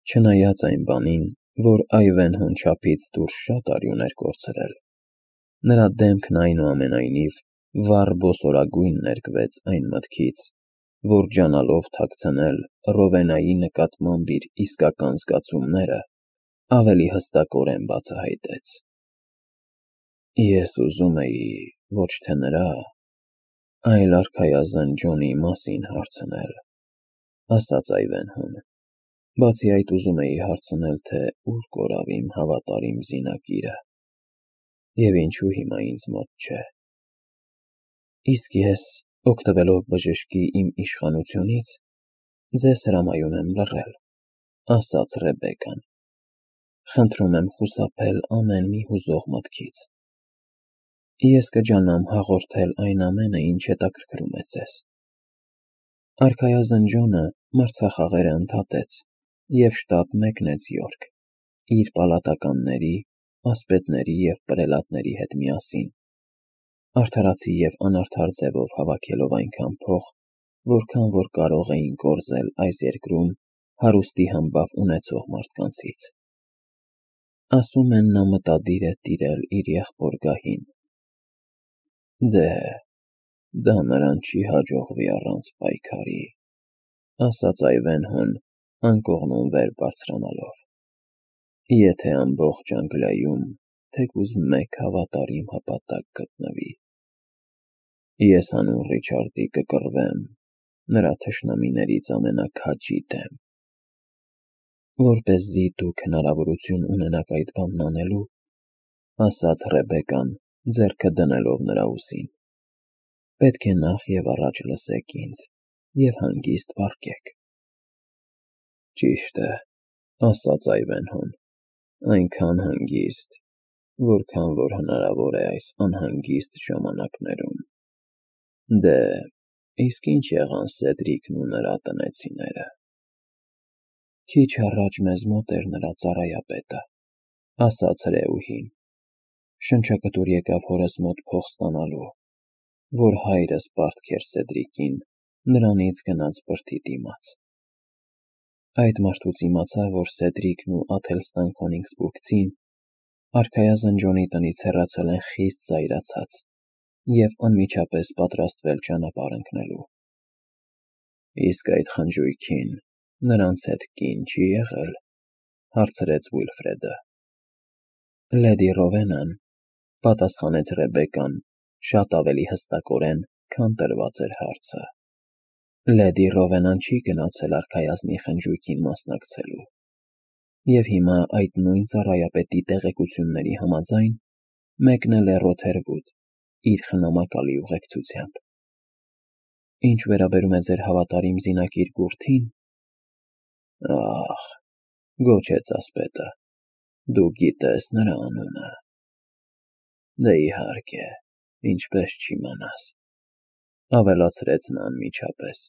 Չնայած այն բանին, որ Այվենհոն չափից դուրս շատ արի ուներ կորցրել, նրա դեմքն այնուամենայնիվ վառ բոսորագույն ներկվեց այն մտքից, որ ջանալով թաքցնել Ռովենայի նկատմամբ իր իսկական զգացումները, ավելի հստակորեն բացահայտեց։ Ես ուզում էի ոչ թե նրա, այլ արքայազն Ջոնի մասին հարցնել, ասաց Այվենհոն։ Բացի այդ ուզում էի հարցնել, թե ուր կորավ իմ հավատարիմ զինակիրը, և ինչու հիմա ինձ մոտ չէ։ Իսկ ես, օգտվելով բժշկի իմ իշխանությունից, ձեզ հրամայում եմ լռել, ասաց Ռեբեկան։ Խնդրում եմ խուսափել ամեն մի հուզող մտքից։ Ես կջանամ հաղորդել այն ամենը, ինչ հետաքրքրում է ձեզ։ Արքայազն Ջոնը մրցախաղերը ընդհատեց և շտապ մեկնեց Յորք, իր պալատականների, ասպետների և պրելատների հետ միասին, արդարացի և անարդար ձևով հավաքելով այնքան փող, որքան որ կարող էին կորզել այս երկրում հարուստի համբավ ունեցող մարդկանցից։ Ասում են, նա մտադիր է տիրել իր եղբոր գահին։ Դե, դա նրան չի հաջողվի առանց պայքարի, ասաց Այվենհոն, անկողնում վեր բարձրանալով։ Եթե ամբողջ Անգլիայում թեկուզ մեկ հավատարիմ հպատակ գտնվի, ես հանուն Ռիչարդի կկռվեմ նրա թշնամիներից ամենաքաջի դեմ։ Որպեսզի դուք հնարավորություն ունենաք այդ բանն անելու, ասաց Ռեբեկան, ձեռքը դնելով նրա ուսին, պետք է նախ և առաջ լսեք ինձ և հանգիստ վարկեք։ Ճիշտ է, ասաց Այվենհոն, այնքան հանգիստ, որքան որ հնարավոր է այս անհանգիստ ժամանակներում։ Դե, իսկ ինչ եղան Սեդրիկն ու նրա տնեցիները։ Քիչ առաջ մեզ մոտ էր նրա ծառայապետը, ասաց հրեուհին։ Շնչակտուր եկավ հորս մոտ փող ստանալու, որ հայրս պարտք էր Սեդրիկին նրանից գնած բրդի դիմաց։ Այդ մարդուց իմացա, որ Սեդրիկն ու Աթելստան Քոնիգսբուրգցին արքայազն Ջոնի տնից հեռացել են խիստ զայրացած և անմիջապես պատրաստվել ճանապարհ ընկնելու։ Իսկ այդ խնջույքին նրանց հետ կին չի եղել, հարցրեց Ուիլֆրեդը։ Լեդի Ռովենան, պատասխանեց Ռեբեկան, շատ ավելի հստակորեն, քան տրված էր հարցը։ Լեդի Ռովենան չի գնացել արքայազնի խնջույքին մասնակցելու, և հիմա այդ նույն ծառայապետի տեղեկությունների համաձայն մեկնել է Ռոթերվուդ իր խնամակալի ուղեկցությամբ։ Ինչ վերաբերում է ձեր հավատարիմ զինակիր Գուրթին, ախ, գոչեց ասպետը, դու գիտես նրա անունը։ Դե իհարկե, ինչպես չիմանաս, ավելացրեց նա անմիջապես,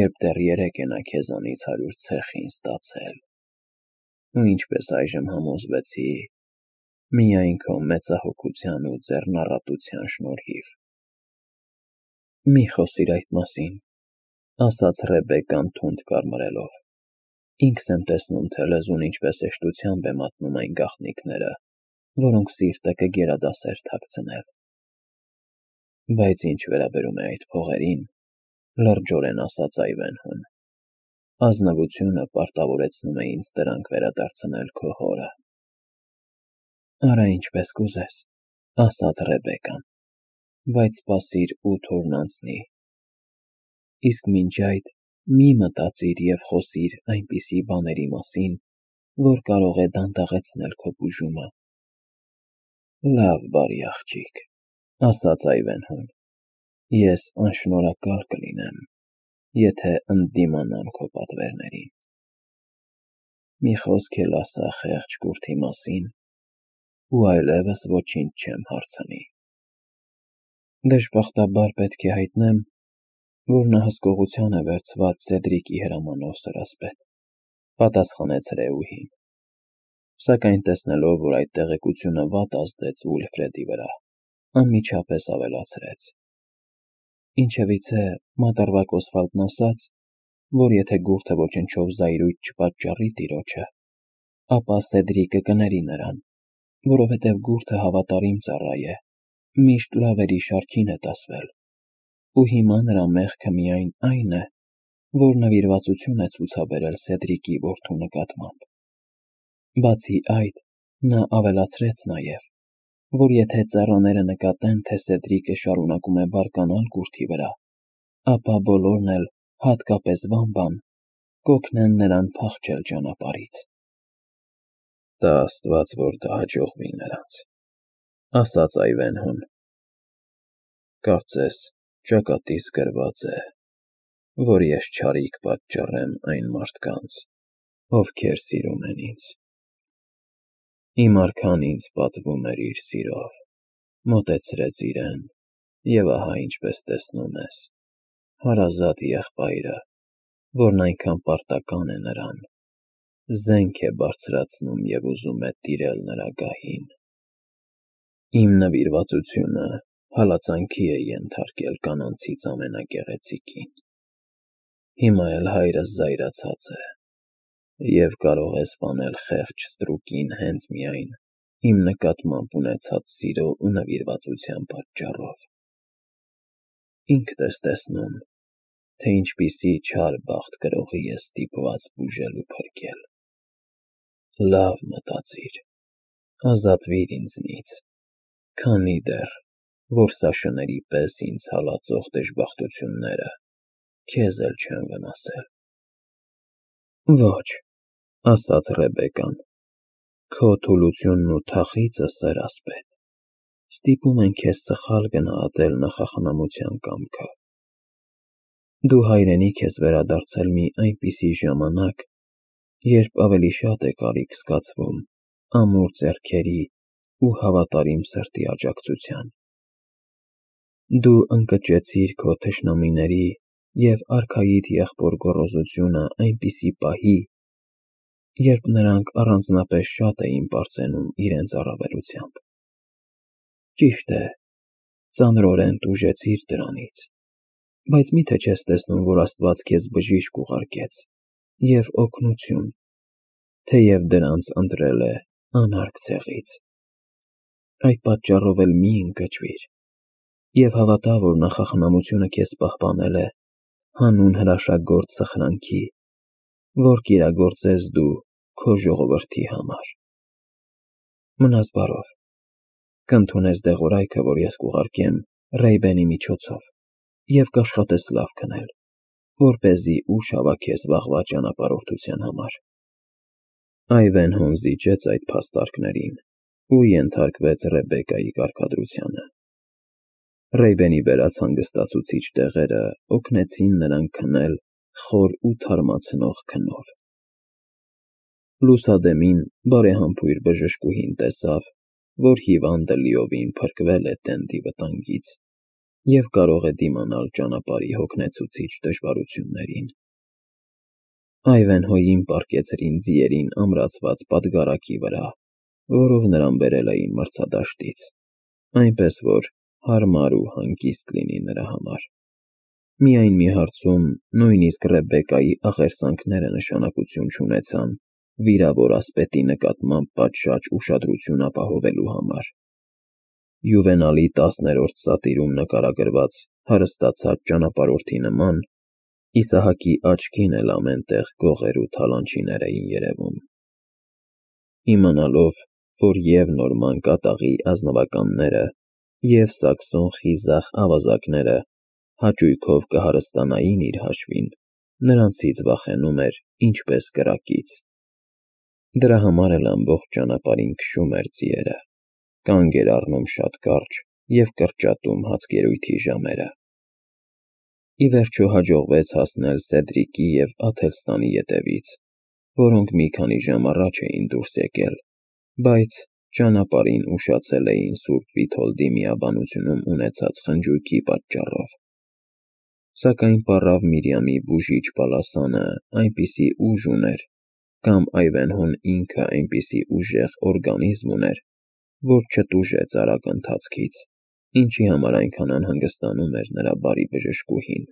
երբ դեռ երեկ է նա քեզանից 100 ցեխին ստացել։ Ու ինչպես այժմ համոզվեցի, միայն քո մեծահոգության ու ձեռնառատության շնորհիվ։ Մի խոսիր այդ մասին, ասաց Ռեբեկան թունդ կարմրելով։ Ինքս եմ տեսնում, թե լեզուն ինչպես հեշտությամբ է մատնում այն գաղտնիքները, որոնք սիրտը կգերադասեր թաքցնել։ Բայց ինչ վերաբերում է այդ փողերին, լրջորեն ասաց Այվենհոն, ազնվությունը պարտավորեցնում է ինձ դրանք վերադարձնել քո հորը։ Արա ինչպես կուզես, ասաց Ռեբեկան, բայց սպասիր 8 օրն անցնի։ Իսկ մինչ այդ մի մտածիր և խոսիր այնպիսի բաների մասին, որ կարող է դանդաղեցնել քո բուժումը։ Լավ, բարի աղջիկ, ասաց Այվենհոն, ես անշնորհակալ կլինեմ, եթե ընդդիմանամ քո պատվերներին։ Մի խոսք էլ ասա խեղճ Գուրթի մասին, ու այլևս ոչինչ չեմ հարցնի։ Դժբախտաբար պետք է հայտնեմ, որ նա հսկողության է վերցված Սեդրիկի հրամանով սրասպետ, պատասխանեց հրեուհին, սակայն տեսնելով, որ այդ տեղեկությունը վատ ազդեց Ուիլֆրեդի վրա, անմիջապես ավելացրեց. Ինչևիցե, մատառվակ Օսվալդն ասաց, որ եթե գուրթը ոչնչով զայրույթ չպատճառի տիրոջը, ապա Սեդրիկը կների նրան, որովհետև գուրթը հավատարիմ ծառա է, միշտ լավերի շարքին է դասվել, ու հիմա նրա մեղքը միայն այն է, որ նվիրվածություն է ցուցաբերել Սեդրիկի որդու նկատմամբ։ Բացի այդ, նա ավելացրեց նաև, որ եթե ծառաները նկատեն, թե Սեդրիկը շարունակում է բարկանալ գուրթի վրա, ապա բոլորն էլ, հատկապես Վամբան, կօգնեն նրան փախչել ճանապարհից։ Տա Աստված, որ դա հաջողվի նրանց, ասաց Այվենհոն։ Կարծես ճակատիս գրված է, որ ես չարիք պատճառեմ այն մարդկանց, ովքեր սիրում են ինձ։ Իմ արքան ինձ պատվում էր իր սիրով, մոտեցրեց իրեն, և ահա ինչպես տեսնում ես, հարազատ եղբայրը, որն այնքան պարտական է նրան, զենք է բարձրացնում և ուզում է տիրել նրա գահին։ Իմ նվիրվածությունը հալածանքի է ենթարկել կանանցից ամենագեղեցիկին։ Հիմա էլ հայրս զայրացած է և կարող է սպանել խեղճ ստրուկին հենց միայն իմ նկատմամբ ունեցած սիրո ու նվիրվածության պատճառով։ Ինքդ ես տեսնում, թե ինչպիսի չար բախտ գրողի ես ստիպված բուժել ու փրկել։ Լավ մտածիր, ազատվիր ինձնից, քանի դեռ որսաշների պես ինձ հալածող դժբախտությունները քեզ էլ չեն վնասել։ Ոչ, ասաց Ռեբեկան, քո թուլությունն ու թախիծը, սեր ասպետ, ստիպում են քեզ սխալ գնահատել նախախնամության կամքը։ Դու հայրենիք ես վերադարձել մի այնպիսի ժամանակ, երբ ավելի շատ է կարիք զգացվում ամուր ձեռքերի ու հավատարիմ սրտի աջակցության։ Դու ընկճեցիր քո թշնամիների և արքայիդ եղբոր գոռոզությունը այնպիսի պահի, երբ նրանք առանձնապես շատ էին պարծենում իրենց առավելությամբ։ Ճիշտ է, ծանրորեն տուժեցիր դրանից, բայց մի՞թե չես տեսնում, որ Աստված քեզ բժիշկ ուղարկեց և օգնություն, թեև դրանց ընտրել է անարգ ցեղից։ Այդ պատճառով էլ մի ընկճվիր և հավատա, որ նախախնամությունը քեզ պահպանել է հանուն հրաշագործ սխրանքի, որ կիրագործես դու քո ժողովրդի համար։ Մնաս բարով, կընդունես դեղորայքը, որ ես կուղարկեմ Ռեյբենի միջոցով, և կաշխատես լավ քնել, որպեսզի ուժ հավաքես վաղվա ճանապարհորդության համար։ Այվենհոն զիջեց այդ փաստարկներին ու ենթարկվեց Ռեբեկայի կարգադրությանը։ Ռեյբենի բերած հանգստացուցիչ տեղերը օգնեցին նրան քնել խոր ու թարմացնող քնով։ Լուսադեմին բարեհամբույր բժշկուհին տեսավ, որ հիվանդը լիովին փրկվել է տենդի վտանգից և կարող է դիմանալ ճանապարհի հոգնեցուցիչ դժվարություններին։ Այվենհոյին պառկեցրին ձիերին ամրացված պատգարակի վրա, որով նրան բերել էին մրցադաշտից, այնպես որ հարմար ու հանգիստ լինի նրա համար։ Միայն մի հարցում նույնիսկ Ռեբեկայի աղերսանքները նշանակություն չունեցան վիրավոր ասպետի նկատմամբ պատշաճ ուշադրություն ապահովելու համար։ Յուվենալի 10-րդ սատիրում նկարագրված հարստացած ճանապարհորդի նման Իսահակի աչքին էլ ամեն տեղ գողեր ու թալանչիներ էին երևում։ Իմանալով, որ և նորման կատաղի ազնվականները, և սաքսոն խիզախ ավազակները հաճույքով կհարստանային իր հաշվին, նրանցից վախենում էր ինչպես կրակից։ Դրա համար էլ ամբողջ ճանապարհին քշում էր ձիերը, կանգ էր առնում շատ կարճ և կրճատում հացկերույթի ժամերը։ Ի վերջո հաջողվեց հասնել Սեդրիկի և Աթելստանի ետևից, որոնք մի քանի ժամ առաջ էին դուրս եկել, բայց ճանապարհին ուշացել էին Սուրբ Վիթոլդի միաբանությունում ունեցած խնջույքի պատճառով։ Սակայն պառավ Միրիամի բուժիչ բալասանը այնպիսի ուժ ուներ, կամ Այվենհոն ինքը այնպիսի ուժեղ օրգանիզմ ուներ, որ չտուժեց արագ ընթացքից, ինչի համար այնքան անհանգստանում էր նրա բարի բժշկուհին։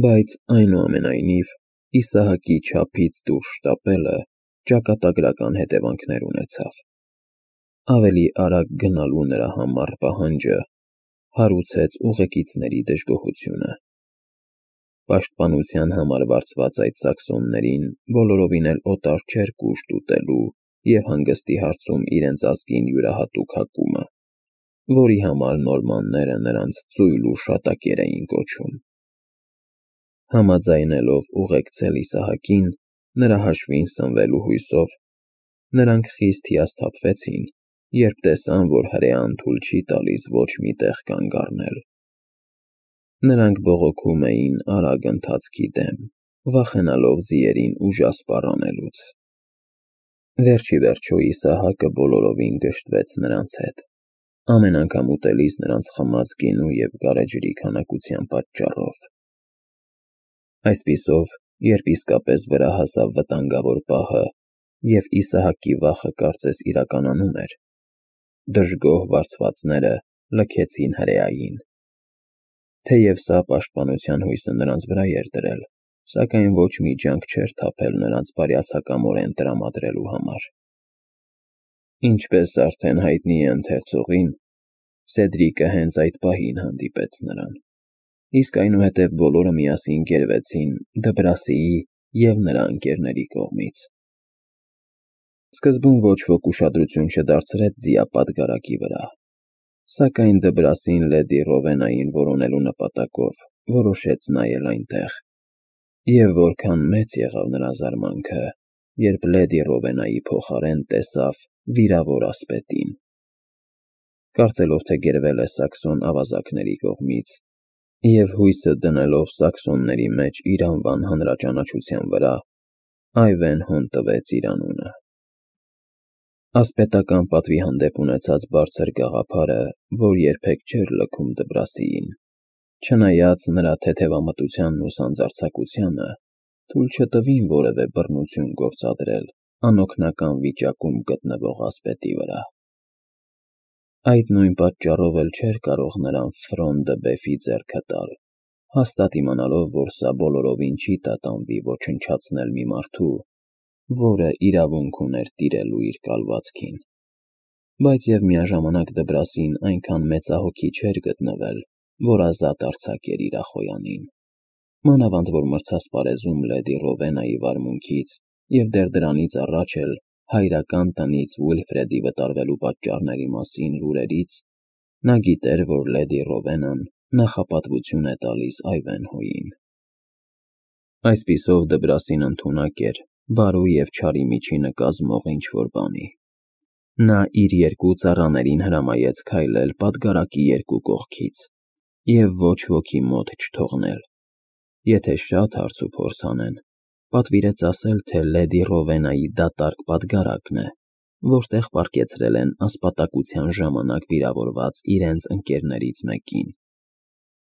Բայց այնուամենայնիվ Իսահակի չափից դուրս շտապելը ճակատագրական հետևանքներ ունեցավ։ Ավելի արագ գնալու նրա համառ պահանջը հարուցեց ուղեկիցների դժգոհությունը։ Պաշտպանության համար վարձված այդ սաքսոններին բոլորովին էլ օտար չէր կուշտ ուտելու և հանգստի հարցում իրենց ազգին յուրահատուկ հակումը, որի համար նորմանները նրանց ծույլ ու շատակեր էին կոչում։ Համաձայնելով ուղեկցել Իսահակին, նրա հաշվին սնվելու հույսով, նրանք խիստ հիասթափվեցին, երբ տեսան, որ հրեան թույլ չի տալիս ոչ մի տեղ կանգ առնել։ Նրանք բողոքում էին արագ ընթացքի դեմ, վախենալով ձիերին ուժասպառ անելուց։ Վերջ ի վերջո Իսահակը բոլորովին գժտվեց նրանց հետ, ամեն անգամ ուտելիս նրանց խմած գինու և գարեջրի քանակության պատճառով։ Այսպիսով, երբ իսկապես վրա հասավ վտանգավոր պահը, և Իսահակի վախը կարծես իրականանում էր, դժգոհ վարձվածները լքեցին հրեային։ Թեև սա պաշտպանության հույսը նրանց վրա էր դրել, սակայն ոչ մի ջանք չէր թափել նրանց բարյացակամորեն տրամադրելու համար։ Ինչպես արդեն հայտնի է ընթերցողին, Սեդրիկը հենց այդ պահին հանդիպեց նրան, իսկ այնուհետև բոլորը միասին գերվեցին Դբրասիի և նրա ընկերների կողմից։ Սկզբում ոչ ոք ուշադրություն չդարձրեց ձիապատգարակի վրա, սակայն Դբրասին լեդի Ռովենային որոնելու նպատակով որոշեց նայել այնտեղ, և որքան մեծ եղավ նրա զարմանքը, երբ լեդի Ռովենայի փոխարեն տեսավ վիրավոր ասպետին։ Կարծելով, թե գերվել է սաքսոն ավազակների կողմից, և հույսը դնելով սաքսոնների մեջ իր անվան հանրաճանաչության վրա, Այվենհոն տվեց իր անունը։ Ասպետական պատվի հանդեպ ունեցած բարձր գաղափարը, որ երբեք չէր լքում Դբրասիին, չնայած նրա թեթևամտությանն ու սանձարձակությանը, թույլ չտվին որևէ բռնություն գործադրել անօգնական վիճակում գտնվող ասպետի վրա։ Այդ նույն պատճառով էլ չէր կարող նրան Ֆրոն դը Բեֆի ձեռքը տալ, հաստատ իմանալով, որ սա բոլորովին չի տատանվի ոչնչացնել մի մարդու, որը իրավունք ուներ տիրելու իր կալվածքին։ Բայց և միաժամանակ Դբրասին այնքան մեծահոգի չէր գտնվել, որ ազատ արձակեր իր ախոյանին, մանավանդ որ մրցասպարեզում լեդի Ռովենայի վարմունքից և դեռ դրանից առաջ էլ հայրական տնից Ուիլֆրեդի վտարվելու պատճառների մասին լուրերից նա գիտեր, որ լեդի Ռովենան նախապատվություն է տալիս Այվենհոյին։ Այսպիսով Դբրասին ընդունակ էր բարու և չարի միջինը կազմող ինչ-որ բանի։ Նա իր երկու ծառաներին հրամայեց քայլել պատգարակի երկու կողքից և ոչ ոքի մոտ չթողնել։ Եթե շատ հարց ու փորձ անեն, պատվիրեց ասել, թե լեդի Ռովենայի դատարկ պատգարակն է, որտեղ պառկեցրել են ասպատակության ժամանակ վիրավորված իրենց ընկերներից մեկին։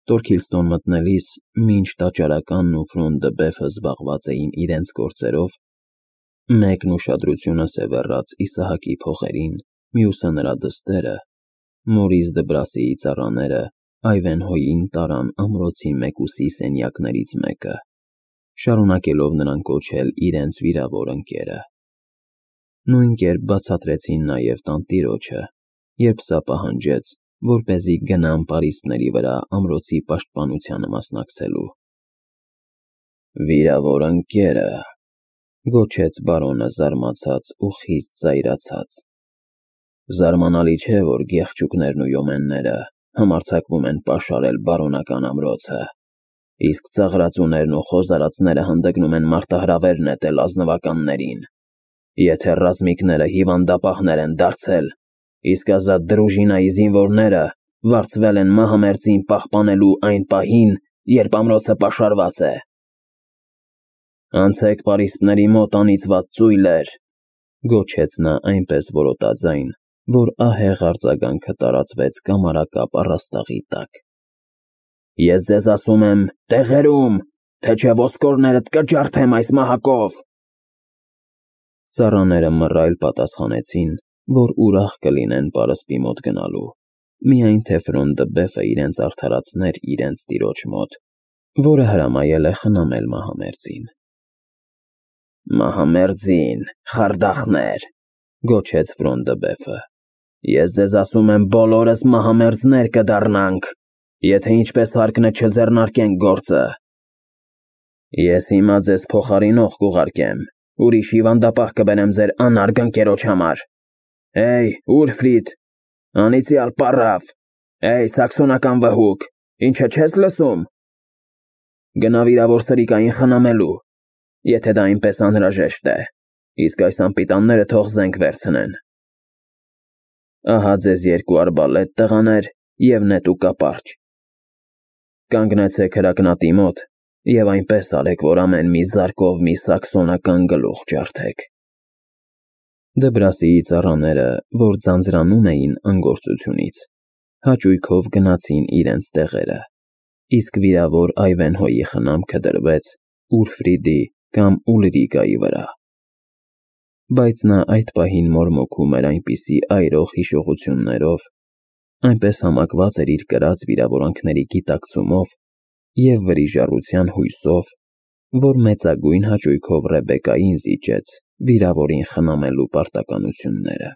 Տորքիլստոն մտնելիս, մինչ տաճարականն ու Ֆրոն դը Բեֆը զբաղված էին իրենց գործերով, մեկն ուշադրությունը սևեռած Իսահակի փողերին, մյուսը նրա դստերը, Մորիս Դբրասիի ծառաները Այվենհոյին տարան ամրոցի մեկուսի սենյակներից մեկը, շարունակելով նրան կոչել իրենց վիրավոր ընկերը։ Նույն կերպ բացատրեցին նաև տանտիրոջը, երբ սա պահանջեց, որպեսզի գնան պարիսպների վրա ամրոցի պաշտպանությանը մասնակցելու։ «Վիրավոր ընկերը», գոչեց բարոնը զարմացած ու խիստ զայրացած։ «Զարմանալի չէ, որ գեղչուկներն ու յոմենները համարձակվում են պաշարել բարոնական ամրոցը, իսկ ծաղրածուներն ու խոզարածները հանդգնում են մարտահրավեր նետել ազնվականներին։ Եթե ռազմիկները հիվանդապահներ են դարձել, իսկ ազատ դրուժինայի զինվորները վարձվել են մահամերձին պահպանելու այն պահին, երբ ամրոցը պաշարված է։ Անցեք պարիսպների մոտ, անիծված ծույլեր», գոչեց նա այնպես որոտաձայն, որ ահեղ արձագանքը տարածվեց կամարակապ առաստաղի տակ։ «Ես ձեզ ասում եմ, տեղերում, թե չէ ոսկորներդ կջարդեմ այս մահակով»։ Ծառաները մռայլ պատասխանեցին, որ ուրախ կլինեն պարսպի մոտ գնալու, միայն թե Ֆրոն դը Բեֆը իրենց արդարացներ իրենց տիրոջ մոտ, որը հրամայել է խնամել մահամերձին։ Մահամերձին, խարդախներ, գոչեց Ֆրոնդաբեֆը, ես ձեզ ասում եմ, բոլորս մահամերձներ կդառնանք, եթե ինչպես հարկն է չձեռնարկենք գործը։ Ես հիմա ձեզ փոխարինող կուղարկեմ, ուրիշ հիվանդապահ կբերեմ ձեր անարգ ընկերոջ համար։ Էյ, Ուլֆրիդ, անիծյալ պառավ, էյ, սաքսոնական վհուկ, ինչը չես լսում։ Գնա վիրավոր սրիկային խնամելու, եթե դա այնպես անհրաժեշտ է, իսկ այս անպիտանները թող զենք վերցնեն։ Ահա ձեզ 2 արբալետ տղաներ և նետու կապարճ։ Կանգնեցեք հրակնատի մոտ և այնպես արեք, որ ամեն մի զարկով մի սաքսոնական գլուխ ջարդեք։ Դբրասիի ծառաները, որ ձանձրանում էին անգործությունից, հաճույքով գնացին իրենց տեղերը, իսկ վիրավոր Այվենհոյի խնամքը դրվեց Ուլֆրիդի կամ Ուլրիկայի վրա։ Բայց նա այդ պահին մորմոքում էր այնպիսի այրող հիշողություններով, այնպես համակված էր իր կրած վիրավորանքների գիտակցումով և վրիժառության հույսով, որ մեծագույն հաճույքով Ռեբեկային զիջեց վիրավորին խնամելու պարտականությունները։